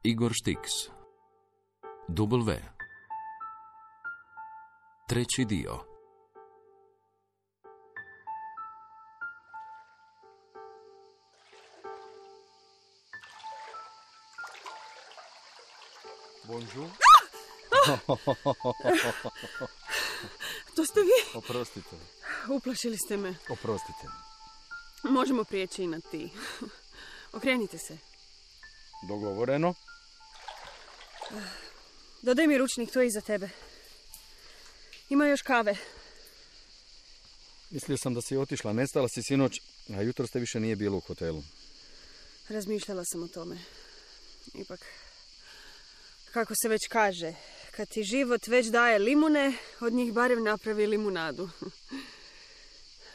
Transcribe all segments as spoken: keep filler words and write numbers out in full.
Igor Štiks. W. Treći dio. Bonjour. To ste vi? Oprostite. Uplašili ste me. Oprostite. Možemo prijeći i na ti. Okrenite se. Dogovoreno. Dodaj mi ručnik, to je iza tebe. Ima još kave. Mislio sam da si otišla, nestala si sinoć, a jutro ste više nije bilo u hotelu. Razmišljala sam o tome. Ipak, kako se već kaže, kad ti život već daje limune, od njih barem napravi limunadu.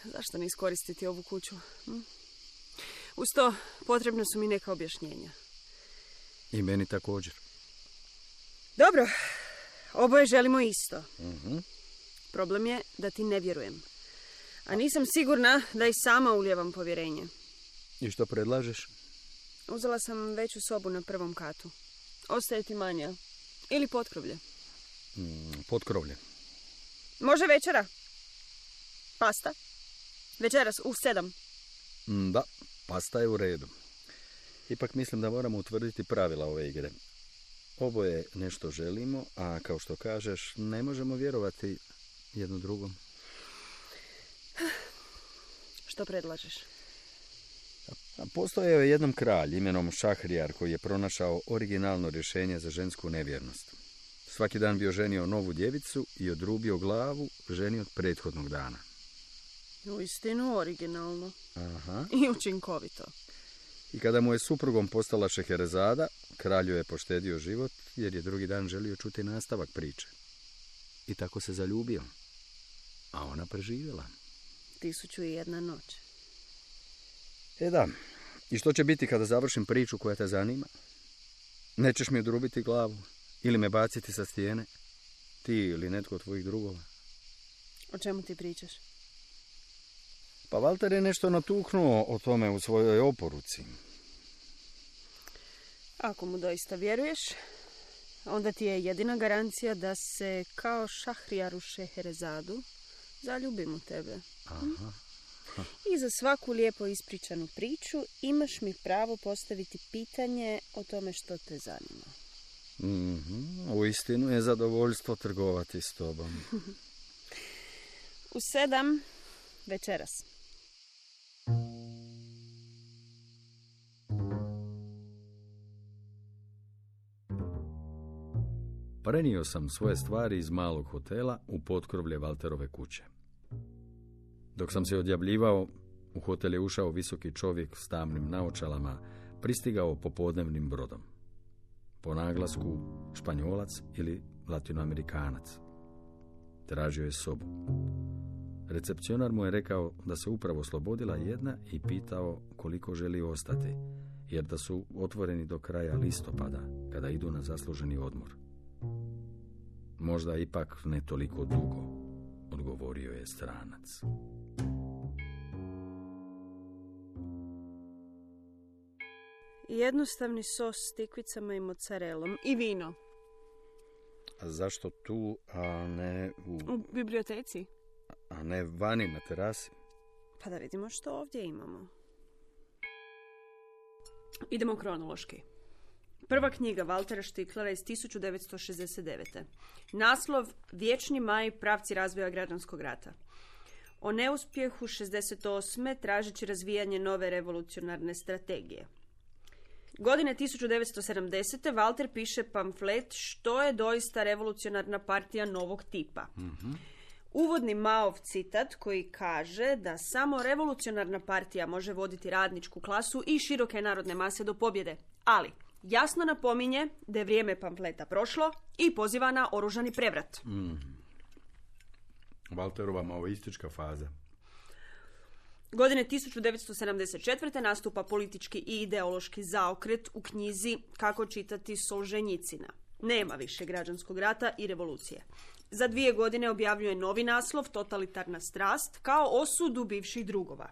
Zašto ne iskoristiti ovu kuću? Hm? Uz to, potrebno su mi neka objašnjenja. I meni također. Dobro, oboje želimo isto. Uh-huh. Problem je da ti ne vjerujem. A nisam sigurna da i sama ulijevam povjerenje. I što predlažeš? Uzela sam veću sobu na prvom katu. Ostaje ti manja. Ili potkrovlje. Mm, potkrovlje. Može večera? Pasta? Večeras u sedam. Mm, da, pasta je u redu. Ipak mislim da moramo utvrditi pravila ove igre. Oboje nešto želimo, a kao što kažeš, ne možemo vjerovati jedno drugom. Što predlažeš? Postojao je jednom kralj imenom Šahrijar koji je pronašao originalno rješenje za žensku nevjernost. Svaki dan bio ženio novu djevicu i odrubio glavu ženi od prethodnog dana. Uistinu originalno. Aha. I učinkovito. I kada mu je suprugom postala Šeherezada, kralju je poštedio život jer je drugi dan želio čuti nastavak priče. I tako se zaljubio. A ona preživjela. Tisuću i jedna noć. E da, i što će biti kada završim priču koja te zanima? Nećeš mi odrubiti glavu ili me baciti sa stijene? Ti ili netko od tvojih drugova? O čemu ti pričaš? Pa Valter je nešto natuknuo o tome u svojoj oporuci. Ako mu doista vjeruješ, onda ti je jedina garancija da se kao Šahrijaru Šeherezadu zaljubim u tebe. Aha. I za svaku lijepo ispričanu priču imaš mi pravo postaviti pitanje o tome što te zanima. Mm-hmm. Uistinu je zadovoljstvo trgovati s tobom. U sedam večeras. Prenio sam svoje stvari iz malog hotela u potkrovlje Valterove kuće. Dok sam se odjavljivao, u hotel je ušao visoki čovjek s tamnim naočalama, pristigao popodnevnim brodom. Po naglasku Španjolac ili Latinoamerikanac. Tražio je sobu. Recepcionar mu je rekao da se upravo oslobodila jedna i pitao koliko želi ostati, jer da su otvoreni do kraja listopada, kada idu na zasluženi odmor. Možda ipak ne toliko dugo, odgovorio je stranac. Jednostavni sos s tikvicama i mozzarellom i vino. A zašto tu, a ne u... U biblioteci. A ne vani na terasi? Pa da vidimo što ovdje imamo. Idemo kronološki. Prva knjiga Valtera Štiklara iz tisuću devetsto šezdeset devete. Naslov Vječni maj, pravci razvoja građanskog rata. O neuspjehu šezdeset osme tražeći razvijanje nove revolucionarne strategije. Godine tisuću devetsto sedamdesete. Valter piše pamflet Što je doista revolucionarna partija novog tipa. Mm-hmm. Uvodni Maov citat koji kaže da samo revolucionarna partija može voditi radničku klasu i široke narodne mase do pobjede. Ali jasno napominje da je vrijeme pamfleta prošlo i poziva na oružani prevrat. Mm. Valterova maoistička faza. Godine tisuću devetsto sedamdeset četvrte. nastupa politički i ideološki zaokret u knjizi Kako čitati Solženjicina. Nema više građanskog rata i revolucije. Za dvije godine objavljuje novi naslov, Totalitarna strast, kao osudu bivših drugova.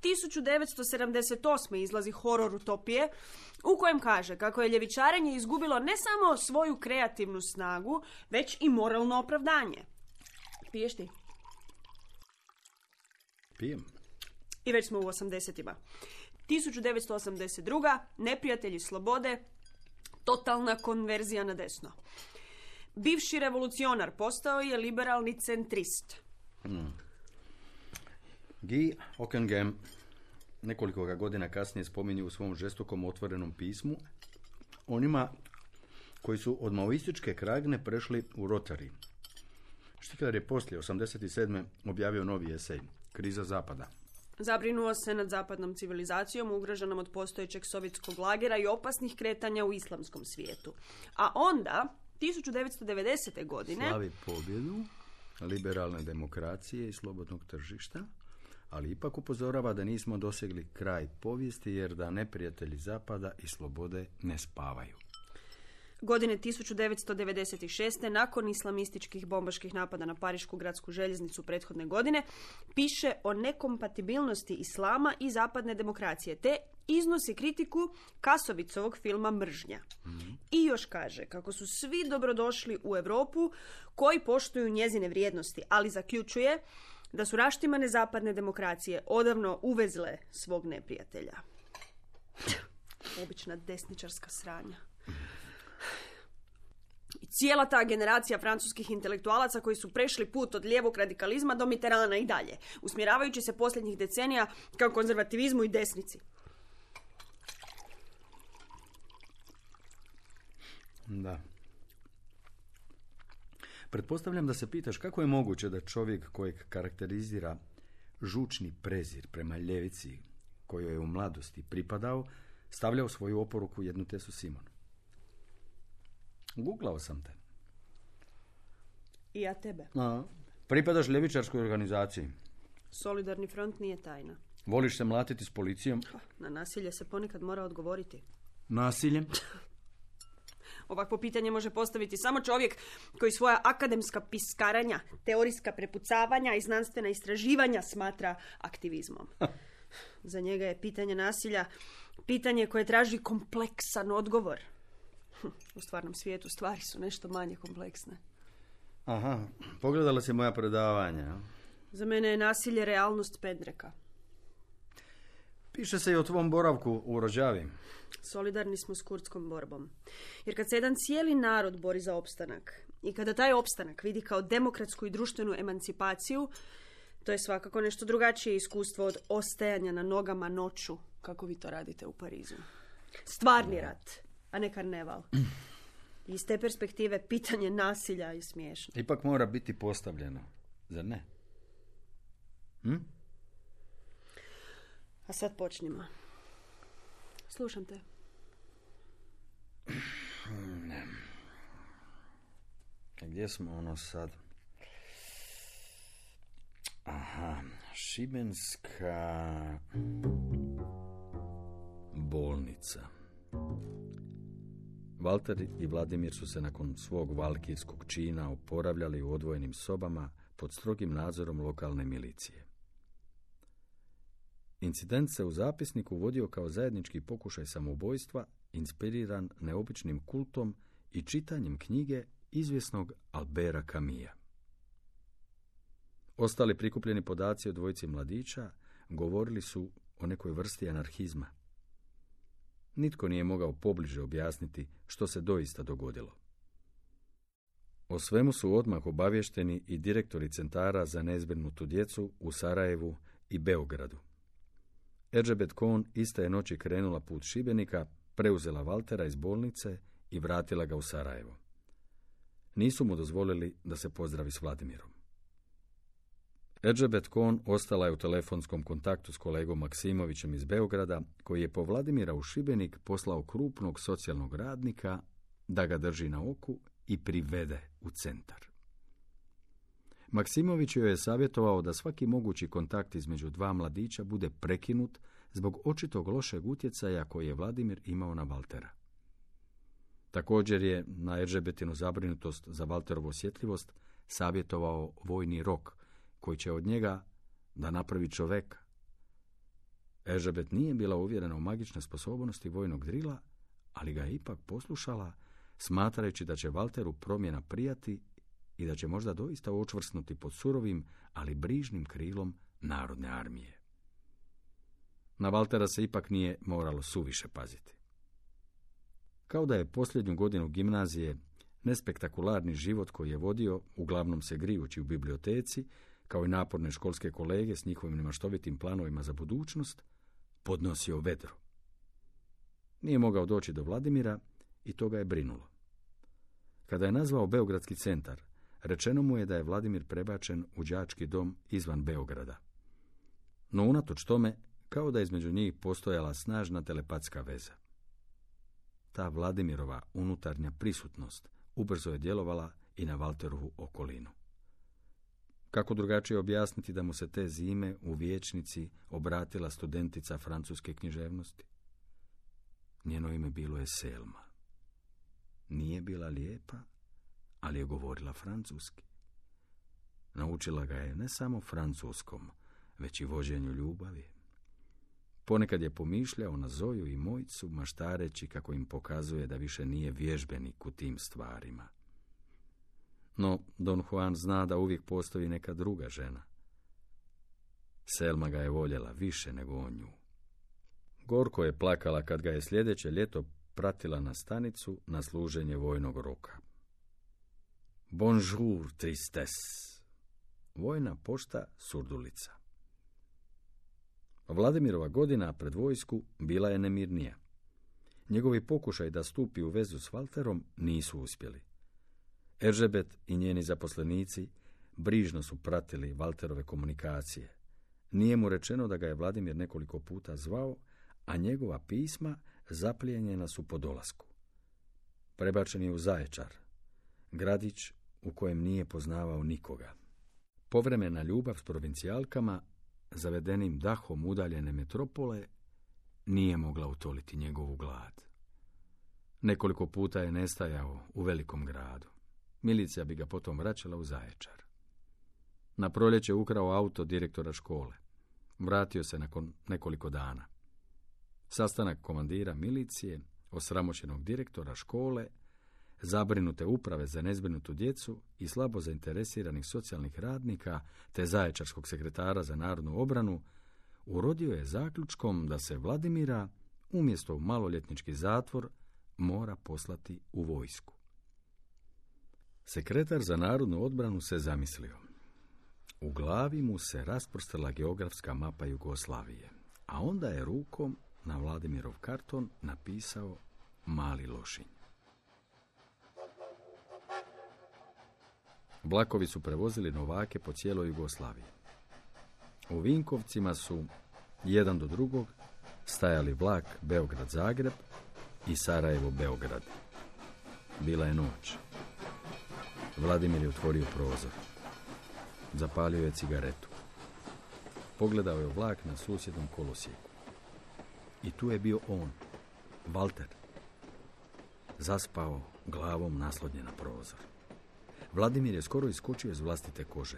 tisuću devetsto sedamdeset osme izlazi Horor utopije, u kojem kaže kako je ljevičarenje izgubilo ne samo svoju kreativnu snagu, već i moralno opravdanje. Piješ ti? Pijem. I već smo u osamdesetima. tisuću devetsto osamdeset druga. Neprijatelji slobode, totalna konverzija na desno. Bivši revolucionar postao je liberalni centrist. Hmm. Guy Ockenham nekoliko ga godina kasnije spominje u svom žestokom otvorenom pismu onima koji su od maoističke kragne prešli u Rotary. Štikler je poslije osamdeset sedme objavio novi esej, Kriza zapada. Zabrinuo se nad zapadnom civilizacijom, ugroženom od postojećeg sovjetskog lagera i opasnih kretanja u islamskom svijetu. A onda, tisuću devetsto devedesete godine... Slavi pobjedu liberalne demokracije i slobodnog tržišta, ali ipak upozorava da nismo dosegli kraj povijesti jer da neprijatelji zapada i slobode ne spavaju. Godine tisuću devetsto devedeset šeste. nakon islamističkih bombaških napada na parišku gradsku željeznicu prethodne godine, piše o nekompatibilnosti islama i zapadne demokracije, te iznosi kritiku Kasovicovog filma Mržnja. Mm-hmm. I još kaže kako su svi dobrodošli u Europu koji poštuju njezine vrijednosti, ali zaključuje da su raštimane zapadne demokracije odavno uvezle svog neprijatelja. Obična desničarska sranja. I cijela ta generacija francuskih intelektualaca koji su prešli put od lijevog radikalizma do Mitterranda i dalje, usmjeravajući se posljednjih decenija kao konzervativizmu i desnici. Da. Pretpostavljam da se pitaš kako je moguće da čovjek kojeg karakterizira žučni prezir prema ljevici kojoj je u mladosti pripadao, stavlja u svoju oporuku jednu Tesu Simon. Googlao sam te. I ja tebe. A, pripadaš ljevičarskoj organizaciji. Solidarni front nije tajna. Voliš se mlatiti s policijom? Na nasilje se ponekad mora odgovoriti. Nasiljem? Ovakvo pitanje može postaviti samo čovjek koji svoja akademska piskaranja, teorijska prepucavanja i znanstvena istraživanja smatra aktivizmom. Za njega je pitanje nasilja pitanje koje traži kompleksan odgovor. U stvarnom svijetu stvari su nešto manje kompleksne. Aha, pogledala si moja predavanja. Za mene je nasilje realnost pendreka. Piše se i o tvom boravku u Rođavi. Solidarni smo s kurdskom borbom. Jer kad se jedan cijeli narod bori za opstanak i kada taj opstanak vidi kao demokratsku i društvenu emancipaciju, to je svakako nešto drugačije iskustvo od ostajanja na nogama noću, kako vi to radite u Parizu. Stvarni rat, a ne karneval. Iz te perspektive pitanje nasilja je smiješno. Ipak mora biti postavljeno, zar ne? Hm? A sad počnimo. Slušam te. Ne. Gdje smo ono sad? Aha, Šibenska bolnica. Valter i Vladimir su se nakon svog valkirskog čina oporavljali u odvojenim sobama pod strogim nadzorom lokalne milicije. Incident se u zapisniku vodio kao zajednički pokušaj samoubojstva, inspiriran neobičnim kultom i čitanjem knjige izvjesnog Albera Camusa. Ostali prikupljeni podaci o dvojici mladića govorili su o nekoj vrsti anarhizma. Nitko nije mogao pobliže objasniti što se doista dogodilo. O svemu su odmah obavješteni i direktori centara za nezbrinutu djecu u Sarajevu i Beogradu. Eržebet Kohn iste je noći krenula put Šibenika, preuzela Valtera iz bolnice i vratila ga u Sarajevo. Nisu mu dozvolili da se pozdravi s Vladimirom. Eržebet Kohn ostala je u telefonskom kontaktu s kolegom Maksimovićem iz Beograda, koji je po Vladimira u Šibenik poslao krupnog socijalnog radnika da ga drži na oku i privede u centar. Maksimović joj je savjetovao da svaki mogući kontakt između dva mladića bude prekinut zbog očitog lošeg utjecaja koji je Vladimir imao na Valtera. Također je na Eržebetinu zabrinutost za Valterovu osjetljivost savjetovao vojni rok, koji će od njega da napravi čoveka. Elžebet nije bila uvjerena u magične sposobnosti vojnog drila, ali ga je ipak poslušala, smatrajući da će Valteru promjena prijati i da će možda doista učvrsnuti pod surovim, ali brižnim krilom narodne armije. Na Valtera se ipak nije moralo suviše paziti. Kao da je posljednju godinu gimnazije nespektakularni život koji je vodio, uglavnom se grijući u biblioteci, kao i naporne školske kolege s njihovim nemaštovitim planovima za budućnost, podnosio vedro. Nije mogao doći do Vladimira i to ga je brinulo. Kada je nazvao Beogradski centar, rečeno mu je da je Vladimir prebačen u đački dom izvan Beograda. No unatoč tome, kao da je između njih postojala snažna telepatska veza. Ta Vladimirova unutarnja prisutnost ubrzo je djelovala i na Valterovu okolinu. Kako drugačije objasniti da mu se te zime u vijećnici obratila studentica francuske književnosti? Njeno ime bilo je Selma. Nije bila lijepa, ali je govorila francuski. Naučila ga je ne samo francuskom, već i vođenju ljubavi. Ponekad je pomišljao na Zoju i Mojcu, maštareći kako im pokazuje da više nije vježbenik u tim stvarima. No, Don Juan zna da uvijek postoji neka druga žena. Selma ga je voljela više nego on nju. Gorko je plakala kad ga je sljedeće ljeto pratila na stanicu na služenje vojnog roka. Bonjour, tristesse. Vojna pošta Surdulica. Vladimirova godina pred vojsku bila je nemirnija. Njegovi pokušaj da stupi u vezu s Valterom nisu uspjeli. Elžebet i njeni zaposlenici brižno su pratili Valterove komunikacije. Nije mu rečeno da ga je Vladimir nekoliko puta zvao, a njegova pisma zaplijenjena su po dolasku. Prebačen je u Zaječar, gradić u kojem nije poznavao nikoga. Povremena ljubav s provincijalkama, zavedenim dahom udaljene metropole, nije mogla utoliti njegovu glad. Nekoliko puta je nestajao u velikom gradu. Milicija bi ga potom vraćala u Zaječar. Na proljeće ukrao auto direktora škole. Vratio se nakon nekoliko dana. Sastanak komandira milicije, osramoćenog direktora škole, zabrinute uprave za nezbrinutu djecu i slabo zainteresiranih socijalnih radnika te zaječarskog sekretara za narodnu obranu urodio je zaključkom da se Vladimira, umjesto u maloljetnički zatvor, mora poslati u vojsku. Sekretar za narodnu odbranu se zamislio. U glavi mu se rasprostala geografska mapa Jugoslavije, a onda je rukom na Vladimirov karton napisao Mali Lošinj. Vlakovi su prevozili novake po cijeloj Jugoslaviji. U Vinkovcima su, jedan do drugog, stajali vlak Beograd-Zagreb i Sarajevo-Beograd. Bila je noć. Vladimir je otvorio prozor. Zapalio je cigaretu. Pogledao je vlak na susjednom kolosijeku. I tu je bio on, Valter. Zaspao, glavom naslonjen na prozor. Vladimir je skoro iskočio iz vlastite kože.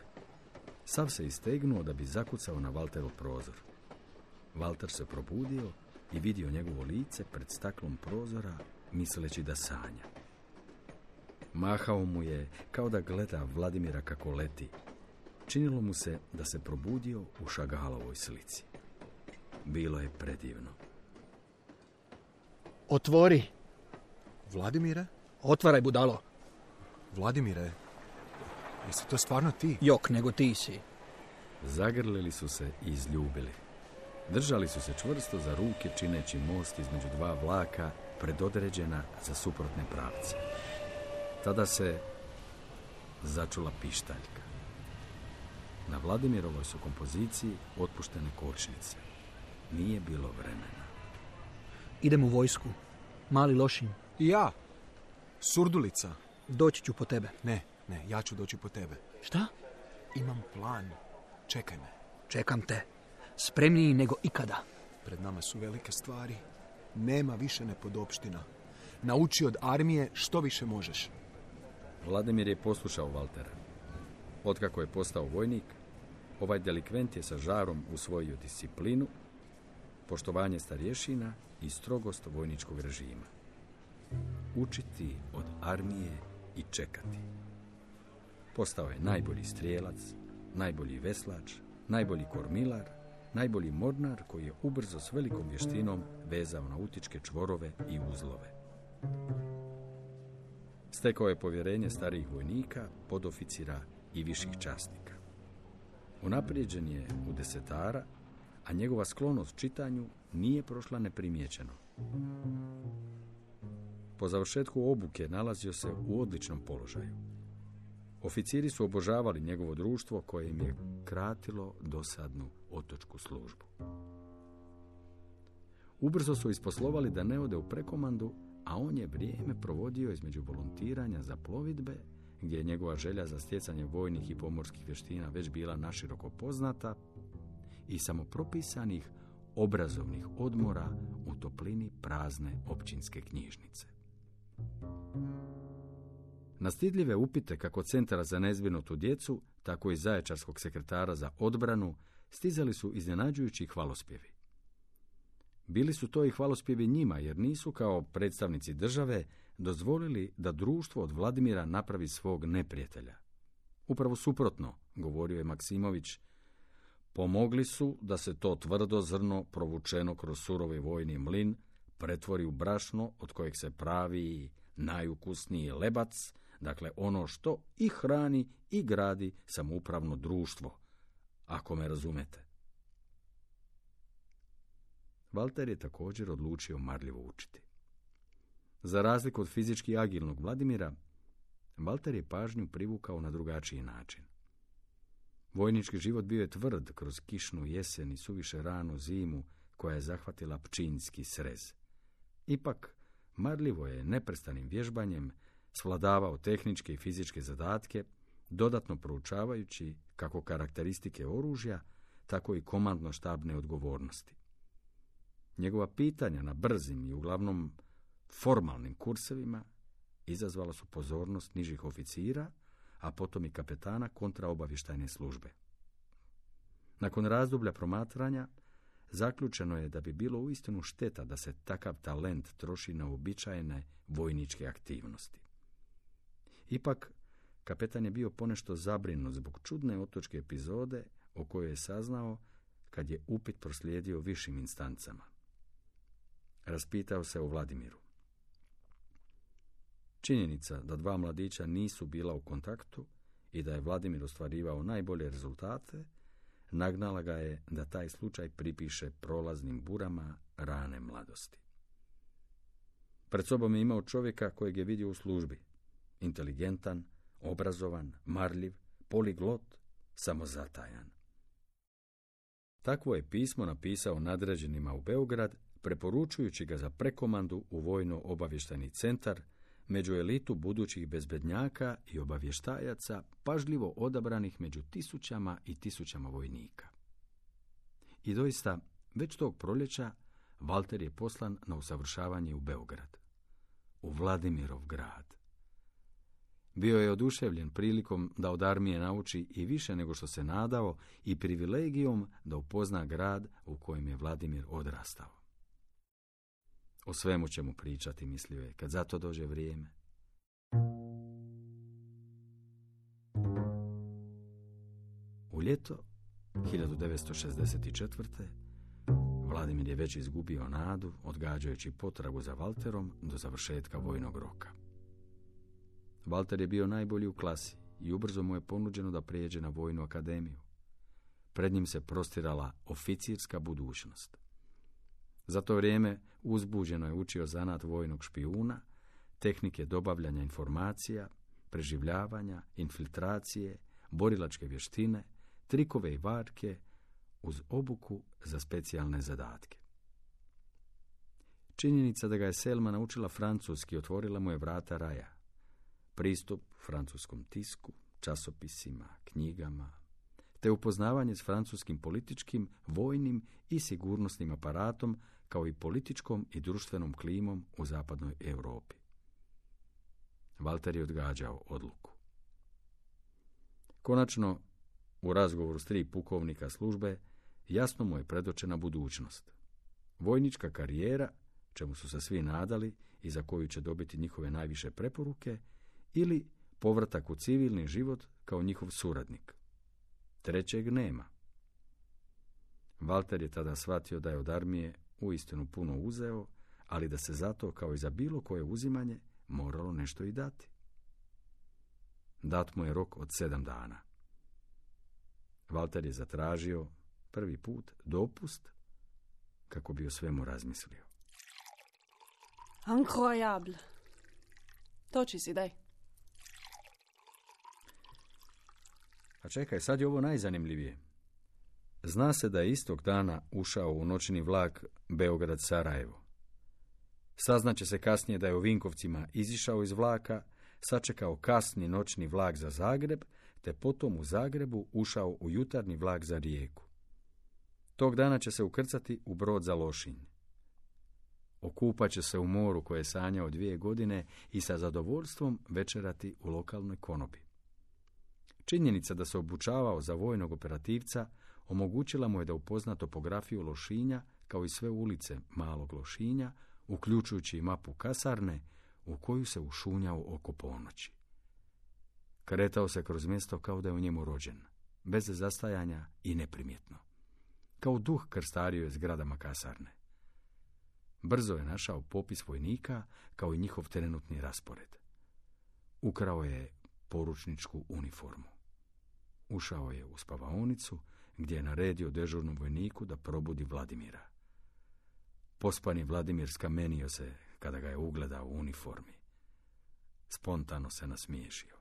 Sav se istegnuo da bi zakucao na Valterov prozor. Valter se probudio i vidio njegovo lice pred staklom prozora, misleći da sanja. Mahao mu je kao da gleda Vladimira kako leti. Činilo mu se da se probudio u Šagalovoj slici. Bilo je predivno. Otvori. Vladimire? Otvaraj, budalo. Vladimire, jesi to stvarno ti? Jok, nego ti si. Zagrlili su se i izljubili. Držali su se čvrsto za ruke, čineći most između dva vlaka, predodređena za suprotne pravce. Tada se začula pištaljka. Na Vladimirovoj su kompoziciji otpuštene kočnice. Nije bilo vremena. Idem u vojsku. Mali Lošinj. I ja. Surdulica. Doći ću po tebe. Ne, ne, ja ću doći po tebe. Šta? Imam plan. Čekaj me. Čekam te. Spremniji nego ikada. Pred nama su velike stvari. Nema više nepodopština. Nauči od armije što više možeš. Vladimir je poslušao Valtera. Otkako je postao vojnik, ovaj delikvent je sa žarom usvojio disciplinu, poštovanje starješina i strogost vojničkog režima. Učiti od armije i čekati. Postao je najbolji strijelac, najbolji veslač, najbolji kormilar, najbolji mornar koji je ubrzo s velikom vještinom vezao nautičke čvorove i uzlove. Stekao je povjerenje starijih vojnika, podoficira i viših časnika. Unaprijeđen je u desetara, a njegova sklonost čitanju nije prošla neprimijećeno. Po završetku obuke nalazio se u odličnom položaju. Oficiri su obožavali njegovo društvo koje im je kratilo dosadnu otočku službu. Ubrzo su isposlovali da ne ode u prekomandu, a on je vrijeme provodio između volontiranja za plovidbe, gdje je njegova želja za stjecanje vojnih i pomorskih vještina već bila naširoko poznata, i samopropisanih obrazovnih odmora u toplini prazne općinske knjižnice. Na stidljive upite kako Centara za nezbrinutu djecu, tako i Zaječarskog sekretara za odbranu stizali su iznenađujući hvalospjevi. Bili su to i hvalospjevi njima, jer nisu kao predstavnici države dozvolili da društvo od Vladimira napravi svog neprijatelja. Upravo suprotno, govorio je Maksimović, pomogli su da se to tvrdo zrno provučeno kroz surovi vojni mlin pretvori u brašno od kojeg se pravi najukusniji lebac, dakle ono što i hrani i gradi samoupravno društvo, ako me razumete. Valter je također odlučio marljivo učiti. Za razliku od fizički agilnog Vladimira, Valter je pažnju privukao na drugačiji način. Vojnički život bio je tvrd kroz kišnu jesen i suviše ranu zimu koja je zahvatila pčinjski srez. Ipak, marljivo je neprestanim vježbanjem svladavao tehničke i fizičke zadatke, dodatno proučavajući kako karakteristike oružja, tako i komandno-štabne odgovornosti. Njegova pitanja na brzim i uglavnom formalnim kursevima izazvala su pozornost nižih oficira, a potom i kapetana kontraobavještajne službe. Nakon razdoblja promatranja, zaključeno je da bi bilo uistinu šteta da se takav talent troši na uobičajene vojničke aktivnosti. Ipak, kapetan je bio ponešto zabrinut zbog čudne otočke epizode o kojoj je saznao kad je upit proslijedio višim instancama. Raspitao se o Vladimiru. Činjenica da dva mladića nisu bila u kontaktu i da je Vladimir ostvarivao najbolje rezultate, nagnala ga je da taj slučaj pripiše prolaznim burama rane mladosti. Pred sobom je imao čovjeka kojeg je vidio u službi. Inteligentan, obrazovan, marljiv, poliglot, samozatajan. Takvo je pismo napisao nadređenima u Beograd, preporučujući ga za prekomandu u vojno-obavještajni centar, među elitu budućih bezbednjaka i obavještajaca, pažljivo odabranih među tisućama i tisućama vojnika. I doista, već tog proljeća, Valter je poslan na usavršavanje u Beograd, u Vladimirov grad. Bio je oduševljen prilikom da od armije nauči i više nego što se nadao i privilegijom da upozna grad u kojem je Vladimir odrastao. O svemu će mu pričati, mislio je, kad za to dođe vrijeme. U ljeto hiljadu devetsto šezdeset četvrte. Vladimir je već izgubio nadu, odgađajući potragu za Valterom do završetka vojnog roka. Valter je bio najbolji u klasi i ubrzo mu je ponuđeno da prijeđe na vojnu akademiju. Pred njim se prostirala oficirska budućnost. Za to vrijeme uzbuđeno je učio zanat vojnog špijuna, tehnike dobavljanja informacija, preživljavanja, infiltracije, borilačke vještine, trikove i varke, uz obuku za specijalne zadatke. Činjenica da ga je Selma naučila francuski otvorila mu je vrata raja. Pristup francuskom tisku, časopisima, knjigama, te upoznavanje s francuskim političkim, vojnim i sigurnosnim aparatom, kao i političkom i društvenom klimom u zapadnoj Europi. Valter je odgađao odluku. Konačno, u razgovoru s tri pukovnika službe, jasno mu je predočena budućnost. Vojnička karijera, čemu su se svi nadali i za koju će dobiti njihove najviše preporuke, ili povratak u civilni život kao njihov suradnik. Trećeg nema. Valter je tada shvatio da je od armije uistinu puno uzeo, ali da se zato, kao i za bilo koje uzimanje, moralo nešto i dati. Dat mu je rok od sedam dana. Valter je zatražio prvi put dopust kako bi o svemu razmislio. Incroyable. Toči si, daj. A čekaj, sad je ovo najzanimljivije. Zna se da je istog dana ušao u noćni vlak Beograd-Sarajevo. Saznaće se kasnije da je u Vinkovcima izišao iz vlaka, sačekao kasni noćni vlak za Zagreb, te potom u Zagrebu ušao u jutarnji vlak za Rijeku. Tog dana će se ukrcati u brod za Lošinj. Okupat će se u moru koje je sanjao dvije godine i sa zadovoljstvom večerati u lokalnoj konobi. Činjenica da se obučavao za vojnog operativca omogućila mu je da upozna topografiju Lošinja kao i sve ulice malog Lošinja, uključujući i mapu kasarne u koju se ušunjao oko ponoći. Kretao se kroz mjesto kao da je u njemu rođen, bez zastajanja i neprimjetno. Kao duh krstario je zgradama kasarne. Brzo je našao popis vojnika kao i njihov trenutni raspored. Ukrao je poručničku uniformu. Ušao je u spavaonicu gdje je naredio dežurnom vojniku da probudi Vladimira. Pospani Vladimir skamenio se kada ga je ugledao u uniformi. Spontano se nasmiješio.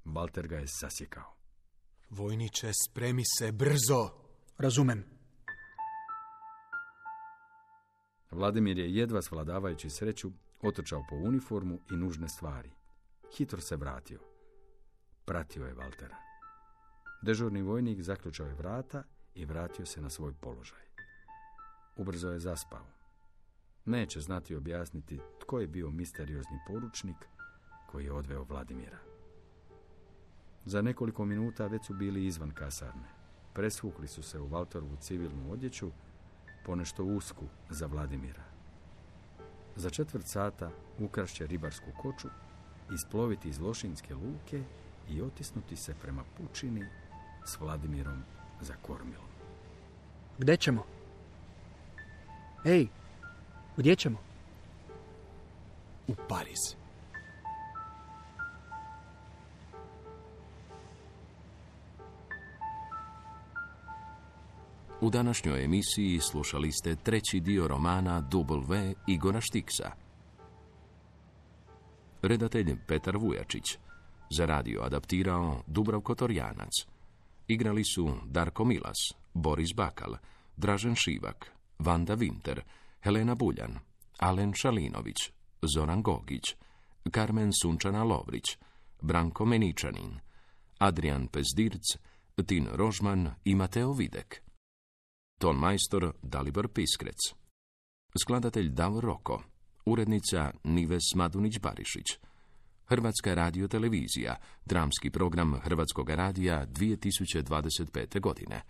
Valter ga je sasjekao. Vojniče, spremi se brzo! Razumem. Vladimir je jedva svladavajući sreću otrčao po uniformu i nužne stvari. Hitro se vratio. Pratio je Valtera. Dežurni vojnik zaključao je vrata i vratio se na svoj položaj. Ubrzo je zaspao. Neće znati objasniti tko je bio misteriozni poručnik koji je odveo Vladimira. Za nekoliko minuta već su bili izvan kasarne. Presvukli su se u Valterovu civilnu odjeću, ponešto usku za Vladimira. Za četvrt sata ukrašće ribarsku koču, isploviti iz Lošinjske luke i otisnuti se prema pučini s Vladimirom za kormilom. Gde ćemo? Ej, gdje ćemo? U Pariz. U današnjoj emisiji slušali ste treći dio romana W Igora Štiksa. Redatelj Petar Vujačić. Za radio adaptirao Dubravko Torjanac. Igrali su Darko Milas, Boris Bakal, Dražen Šivak, Vanda Vinter, Helena Buljan, Alen Šalinović, Zoran Gogić, Karmen Sunčana Lovrić, Branko Meničanin, Adrian Pezdirc, Tin Rožman i Mateo Videk. Ton majstor Dalibor Piskrec. Skladatelj Davor Roko. Urednica Nives Madunić-Barišić. Hrvatska radiotelevizija, dramski program Hrvatskog radija dvije tisuće dvadeset pete godine.